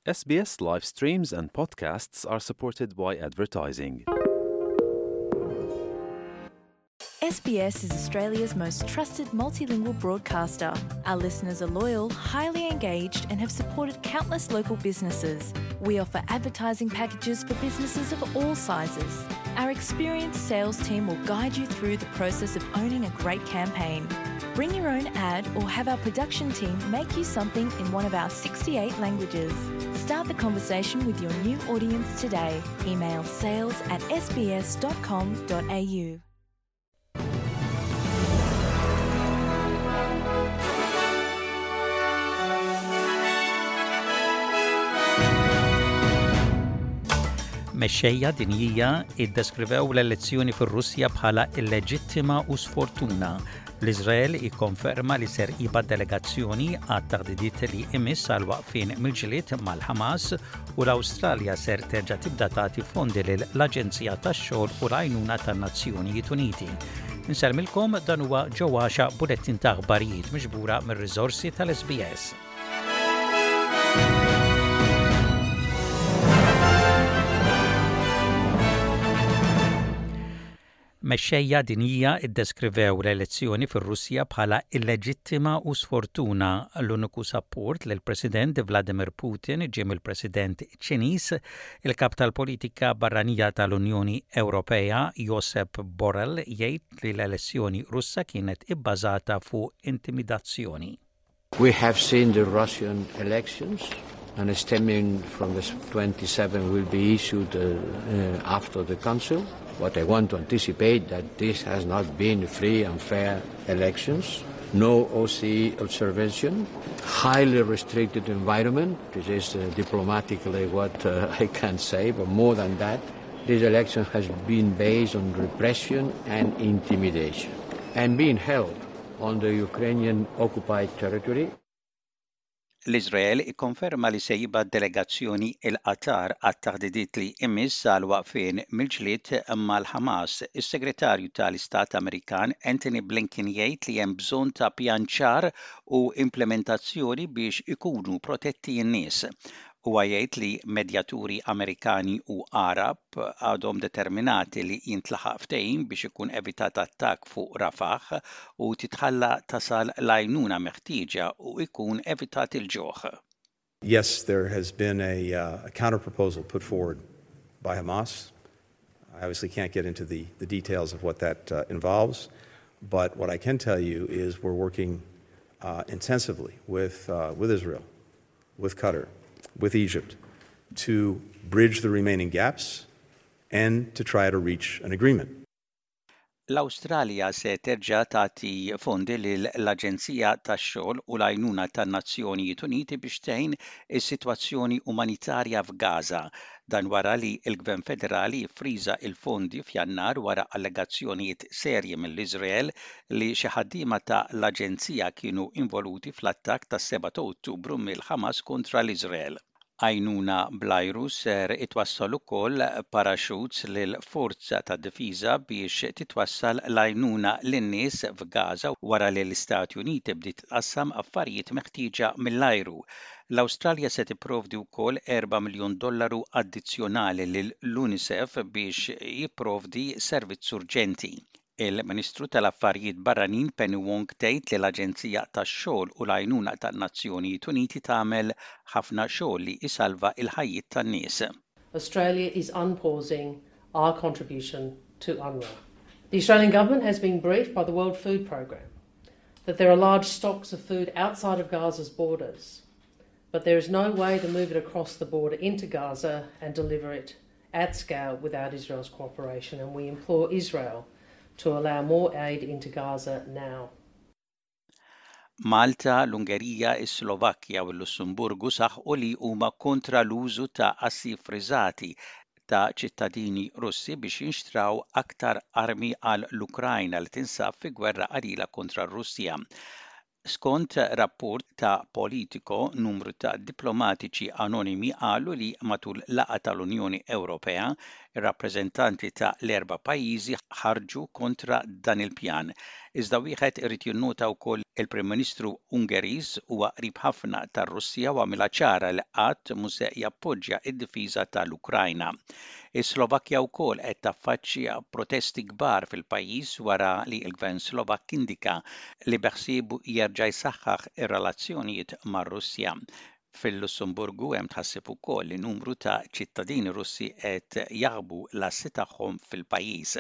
SBS live streams and podcasts are supported by advertising. SBS is Australia's most trusted multilingual broadcaster. Our listeners are loyal, highly engaged, and have supported countless local businesses. We offer advertising packages for businesses of all sizes. Our experienced sales team will guide you through the process of owning a great campaign. Bring your own ad or have our production team make you something in one of our 68 languages. Start the conversation with your new audience today. Email sales at sbs.com.au. Mexxejja dinjija iddeskrivew l-elezzjoni fir-Russja bħala illeġittima u sfortuna. L-Iżrael ikkonferma li ser jibgħat delegazzjoni għat-taħdidiet li imiss għal waqfien mill-ġlied mal-Ħamas u l-Awstralja ser terġa' tibda tagħti fondi lil l-Aġenzija tax-Xogħol u l-Għajnuna tan-Nazzjonijiet Uniti. Insellmilkom dan huwa ġewwaxa bulettin ta' aħbarijiet miġbura mir-riżorsi tal-SBS. Mexxejja dinjija ddeskrivew l-elezzjoni fir-Russja bħala illeġittima u sfortuna. L-uniku sapport lill-President Vladimir Putin ġie mill-President Ċiniż. Il-Kap tal-Politika Barranija tal-Unjoni Ewropea, Josep Borrell, jgħid li l-elezzjoni Russa kienet ibbażata fuq intimidazzjoni. We have seen the Russian elections and a statement from the 27 will be issued uh, uh, after the council. What I want to anticipate that this has not been free and fair elections, no OCE observation, highly restricted environment, this is uh, diplomatically what uh, I can say, but more than that, this election has been based on repression and intimidation and being held on the Ukrainian occupied territory. L-Iżrael ikkonferma li se jibgħat delegazzjoni il-Qatar għat-taħdidiet li imiss għal waqfien mill-ġlied mal-Ħamas. Is-Segretarju tal-Istat Amerikan Antony Blinken jgħid li hemm bżonn ta' pjan ċar u implementazzjoni biex ikunu protetti n-nies. Huwa jgħid li medjaturi Amerikani u Għarab għadhom determinati li jintlaħaq ftehim biex ikun evitat attakk fuq Rafah u titħalla tasal l-għajnuna meħtieġa u jkun evitat il-ġuħ. Yes, there has been a, uh, a counterproposal put forward by Hamas. I obviously can't get into the, the details of what that uh, involves, but what I can tell you is we're working uh, intensively with, uh, with Israel, with Qatar, with Egypt, to bridge the remaining gaps and to try to reach an agreement. L-Awstralja se terġa' tagħti fondi lill-Aġenzija tax-Xogħol u l-Għajnuna tan-Nazzjonijiet Uniti biex tgħin is-sitwazzjoni umanitarja f'Gaza. Dan wara li l-Gvern Federali ffriża l-fondi f'Jannar wara allegazzjonijiet serji mill-Iżrael li xi ħaddiema ta' l-aġenzija kienu involuti fl-attakk tas-7 ta' Ottubru mill-Ħamas kontra l-Iżrael. Għajnuna bl-ajru ser itwassal ukoll paraxuts lill-Forza tad-Difiża biex titwassal l-għajnuna lin-nies f'Gaza wara li l-Istati Uniti bdiet tqassam affarijiet meħtieġa mill-ajru. L-Awstralja se tipprovdi wkoll 4 miljun dollaru addizzjonali lill-UNICEF biex jipprovdi servizz urġenti. Il-Ministru tal-Affarijiet Barranin Penny Wong tgħid li l-Aġenzija tax-Xogħol u l-Għajnuna tan-Nazzjonijiet Uniti tagħmel ħafna xogħol li jsalva l-ħajjiet tan-nies. Australia is unpausing our contribution to UNRWA. The Australian Government has been briefed by the World Food Programme that there are large stocks of food outside of Gaza's borders, but there is no way to move it across the border into Gaza and deliver it at scale without Israel's cooperation, and we implore Israel to allow more aid into Gaza now. Malta, l-Ungerija, is-Slovakkja u l-Lussemburgu saħqu li huma kontra l-użu ta' assi ffriżati ta' ċittadini Russi biex jinxtraw aktar armi għal l-Ukrajna li tinsab fi gwerra qalila kontra r-Russja. Skont rapport ta' Politico, numru ta' diplomatiċi anonimi qalu li matul laqgħa tal-Unjoni Ewropea, ir-rappreżentanti ta' l-erba' pajjiżi ħarġu kontra dan il-pjan. Iżda wieħed irid jinnota wkoll il-Prim Ministru Ungeriż huwa qrib ħafna tar-Russja u għamilha ċara li qatt mhu se jappoġġja d-difiża tal-Ukrajna. Is-Slovakkja wkoll qed taffaċċja protesti kbar fil-pajjiż wara li l-Gvern Slovakk indika li beħsiebu jerġa' jsaħħaħ ir-relazzjonijiet mar-Russja. Fil-Lussemburgu hemm tħassib ukoll li numru ta' ċittadini Russi qed jaħbu l-assi tagħhom fil-pajjiż.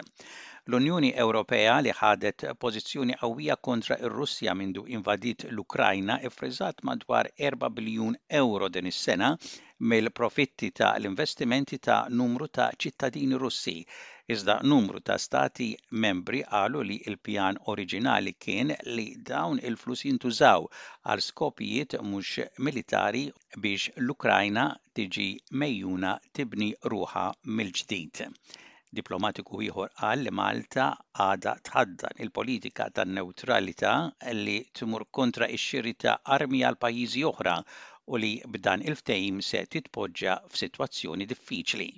L-Unjoni Ewropea li ħadet pożizzjoni qawwija kontra r-Russja mindu invadiet l-Ukrajna iffriżat madwar 4 biljun ewro din is-sena mill-profitti ta' l-investimenti ta' numru ta' ċittadini Russi. Iżda numru ta' stati membri qalu li l-pjan oriġinali kien li dawn il-flus jintużaw għal skopijiet mhux militari biex l-Ukrajna tiġi megħjuna tibni ruħha mill-ġdid. Diplomatiku ieħor qal li Malta għadha tħaddan il-politika tan-newtralità li tmur kontra x-xiri ta' armi għal pajjiżi oħra u li b'dan il-ftehim se titpoġġa f'sitwazzjoni diffiċli.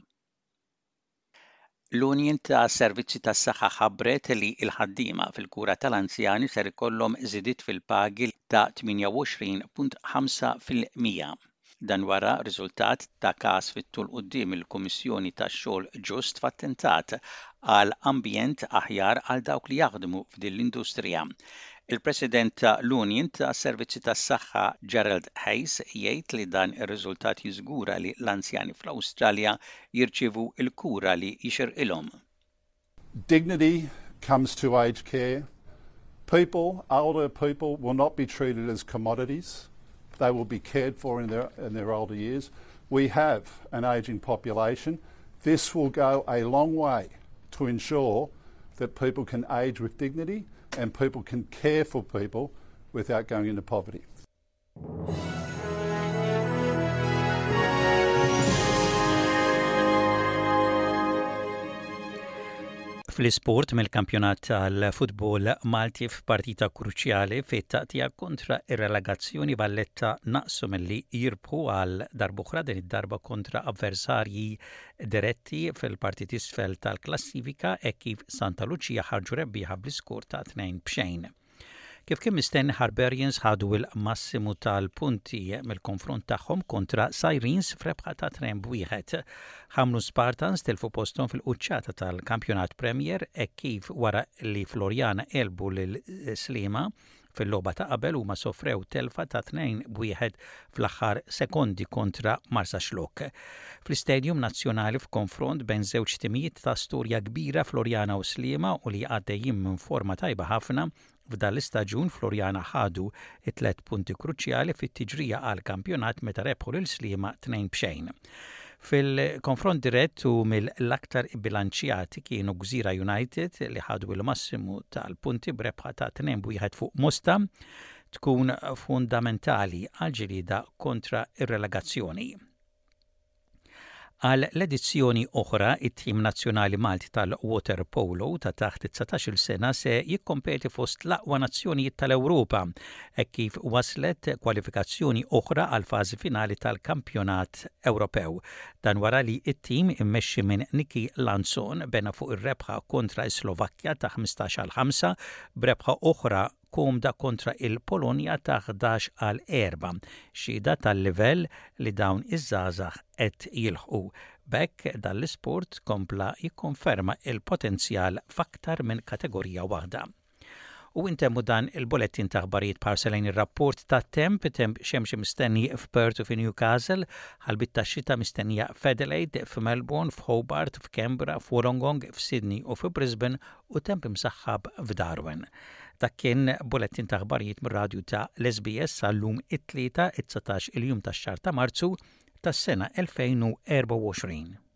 L-Union ta' Servizzi tas-Saħħa ħabbret li l-ħaddiema fil-kura tal-anzjani ser ikollhom żidiet fil-pagi ta' 28.5 fil-100. Dan wara riżultat ta' każ fit-tul quddiem il-Kummissjoni tax-Xogħol Ġust f'attentat għal ambjent aħjar għal dawk li jaħdmu f'din l-industrija. Il-President ta' l-Union tas-Servizzi tas-Saħħa Gerald Hayes jgħid li dan ir-riżultat jiżgura li l-anzjani fl-Awstralja jirċievu l-kura li jixirqilhom. Dignity comes to aged care. People, older people, will not be treated as commodities. They will be cared for in their, in their older years. We have an ageing population. This will go a long way to ensure that people can age with dignity and people can care for people without going into poverty. Fl-isport mill-kampjonat tal-futbol Malti f'partita kruċjali fit-taqtija kontra ir-relegazzjoni Valletta naqsu milli jirbħu għal darb'oħra din id-darba kontra avversarji diretti fil-parti t'isfel tal-klassifika hekk kif Santa Lucia ħarġu rebbieħa bl-iskor ta' 2-0. Kif kien mistenni Harbarians ħadu l-massimu tal-punti mill-konfront tagħhom kontra Sirens f'rebħa ta' 2-1. Ħamrun Spartans tilfu posthom fil-quċċata tal-Kampjonat Premier hekk kif wara li Floriana għelbu lil Sliema fil-logħba ta' qabel huma sofrew telfa ta' 2-1 fl-aħħar sekondi kontra Marsaxlokk. Fl-Istadium Nazzjonali f'konfront bejn żewġ timijiet ta' storja kbira Floriana u Sliema u li għaddejjin minn forma tajba ħafna, f'dan l-istaġun Floriana ħadu t-tlett punti kruċjali fit-tiġrija għall-kampjonat meta rebħu lil Sliema tnejn b'xejn. Fil-konfront dirett u mill-aktar ibbilanċjati kienu Gżira United li ħadu l-massimu tal-punti b'rebħa ta' 2 b'wieħed fuq Mosta tkun fundamentali għall-ġlieda kontra r-relegazzjoni. Għal l-edizzjoni oħra, it-tim nazzjonali Malti tal-waterpolo ta' taħt it-19-il sena se jikkompeti fost l-aqwa nazzjonijiet tal-Ewropa hekk kif waslet kwalifikazzjoni oħra għall-fażi finali tal-Kampjonat Ewropew. Dan wara li t-tim immexxi minn Niki Lanzon bena fuq ir-rebħa kontra s-Slovakkja ta' 15 għal 5 b'rebħa oħra komda kontra il-Polonja ta' 11 għal 4, xhieda tal-livell li dawn iż-żgħażagħ qed jilħqu. B'hekk dan l-isport kompla jikkonferma l-potenzjal f'aktar minn kategorija waħda. U intemmu dan il-bulettin ta' aħbarijiet b'ħarsa lejn ir-rapport tat-temp, temp xemxi mistenni f'Perth u fi Newcastle, ħalbiet tax-xita mistennija f'Adelaide, f'Melbourne, f'Hobart, f'Canberra, f'Wollongong, f'Sydney u fi Brisbane u temp imsaħħab f'Darwin. Dak kien bulettin ta' aħbarijiet mir-radju ta' l-SBS għal-lum it-Tlieta, it-19 il-jum tax-xahar ta' Marzu tas-sena 2024.